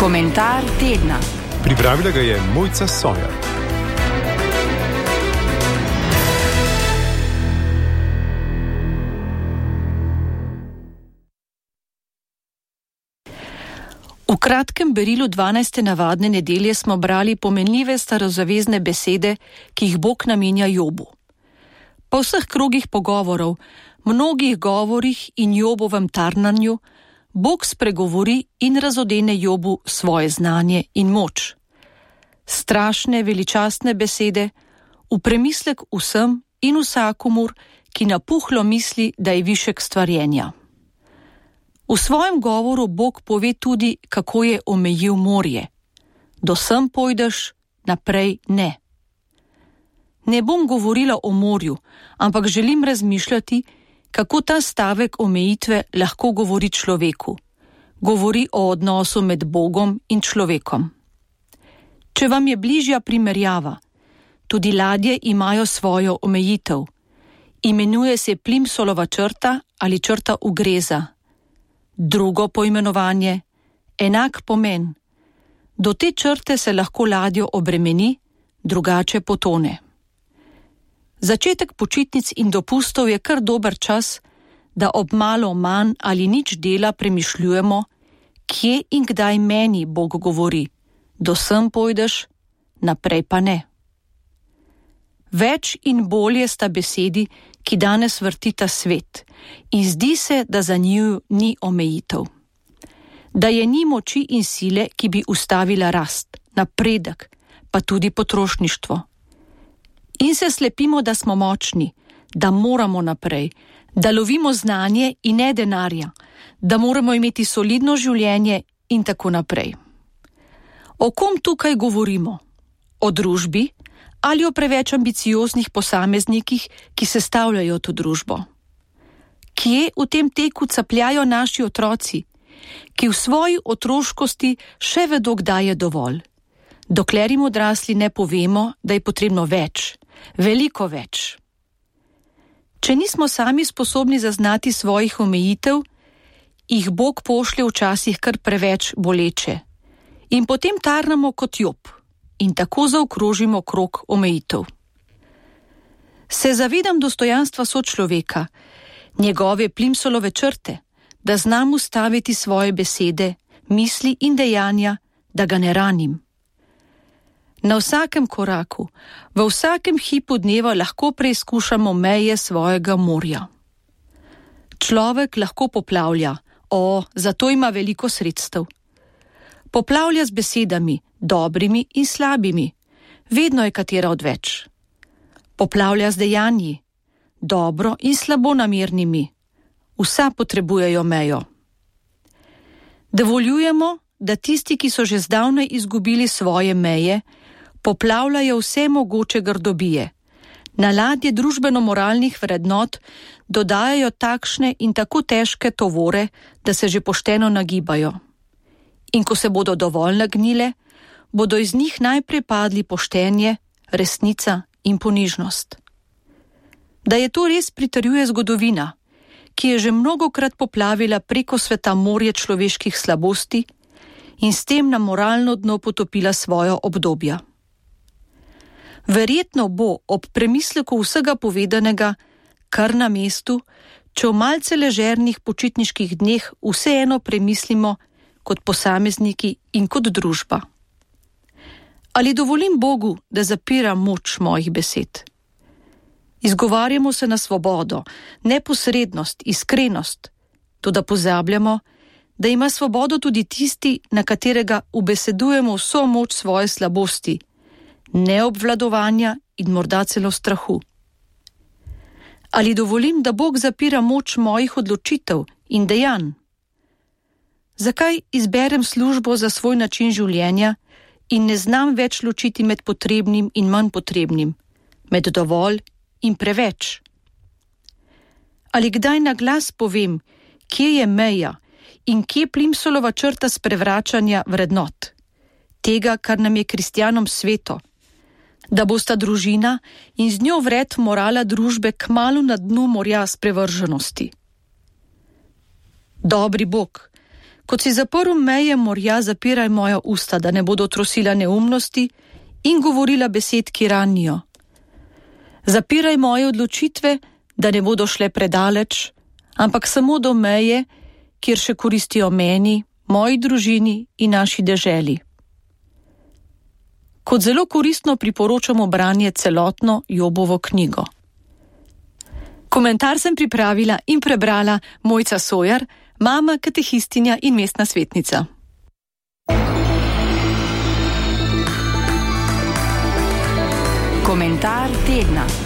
Komentar tedna. Pripravila ga je Mojca Sojer. V kratkem berilu 12. navadne nedelje smo brali pomenljive starozavezne besede, ki jih Bog namenja Jobu. Po vseh krogih pogovorov, mnogih govorih in Jobovem tarnanju, Bog spregovori in razodene Jobu svoje znanje in moč. Strašne, veličastne besede, v premislek vsem in vsakomur, ki napuhlo misli, da je višek stvarjenja. V svojem govoru Bog pove tudi, kako je omejil morje. Do sem pojdeš, naprej ne. Ne bom govorila o morju, ampak želim razmišljati, kako ta stavek omejitve lahko govori človeku. Govori o odnosu med Bogom in človekom. Če vam je bližja primerjava, tudi ladje imajo svojo omejitev. Imenuje se Plimsolova črta ali črta ugreza. Drugo poimenovanje, enak pomen. Do te črte se lahko ladjo obremeni, drugače potone. Začetek počitnic in dopustov je kar dober čas, da ob malo manj ali nič dela premišljujemo, kje in kdaj meni Bog govori. Do sem pojdeš, naprej pa ne. Več in bolje sta besedi, ki danes vrtita svet, in zdi se, da za njiju ni omejitev. Da je ni moči in sile, ki bi ustavila rast, napredek, pa tudi potrošništvo. In se slepimo, da smo močni, da moramo naprej, da lovimo znanje in ne denarja, da moramo imeti solidno življenje in tako naprej. O kom tukaj govorimo? O družbi ali o preveč ambicioznih posameznikih, ki sestavljajo to družbo? Kje v tem teku capljajo naši otroci, ki v svoji otroškosti še vedo, kdaj je dovolj? Dokler jim odrasli ne povemo, da je potrebno več, veliko več. Če nismo sami sposobni zaznati svojih omejitev, jih Bog pošlje včasih kar preveč boleče. In potem tarnamo kot Job in tako zaokrožimo krog omejitev. Se zavedam dostojanstva sočloveka, njegove Plimsolove črte, da znam ustaviti svoje besede, misli in dejanja, da ga ne ranim. Na vsakem koraku, v vsakem hipu dneva lahko preizkušamo meje svojega morja. Človek lahko poplavlja, zato ima veliko sredstev. Poplavlja z besedami, dobrimi in slabimi, vedno je katera odveč. Poplavlja z dejanji, dobro in slabo namernimi, vsa potrebujejo mejo. Dovoljujemo, da tisti, ki so že zdavnaj izgubili svoje meje, poplavljajo vse mogoče grdobije. Na ladje družbeno-moralnih vrednot dodajajo takšne in tako težke tovore, da se že pošteno nagibajo. In ko se bodo dovolj nagnile, bodo iz njih najprej padli poštenje, resnica in ponižnost. Da je to res pritrjuje zgodovina, ki je že mnogokrat poplavila preko sveta morje človeških slabosti in s tem na moralno dno potopila svojo obdobja. Verjetno bo ob premisleku vsega povedanega kar na mestu, če v malce ležernih počitniških dneh vseeno premislimo kot posamezniki in kot družba. Ali dovolim Bogu, da zapira moč mojih besed? Izgovarjamo se na svobodo, neposrednost, iskrenost, toda pozabljamo, da ima svobodo tudi tisti, na katerega ubesedujemo vso moč svoje slabosti, neobvladovanja in morda celo strahu. Ali dovolim, da Bog zapira moč mojih odločitev in dejanj? Zakaj izberem službo za svoj način življenja in ne znam več ločiti med potrebnim in manj potrebnim, med dovolj in preveč? Ali kdaj na glas povem, kje je meja in kje Plimsolova črta sprevračanja vrednot, tega, kar nam je kristjanom sveto, da bosta družina in z njo vred morala družbe kmalu na dnu morja sprevrženosti? Dobri Bog, Kot si zaprl meje morja, zapiraj moja usta, da ne bodo trosila neumnosti in govorila besed, ki ranijo. Zapiraj moje odločitve, da ne bodo šle predaleč, ampak samo do meje, kjer še koristijo meni, moji družini in naši deželi. Kot zelo koristno priporočamo branje celotno Jobovo knjigo. Komentar sem pripravila in prebrala Mojca Sojar, mama, katehistinja in mestna svetnica. Komentar tedna.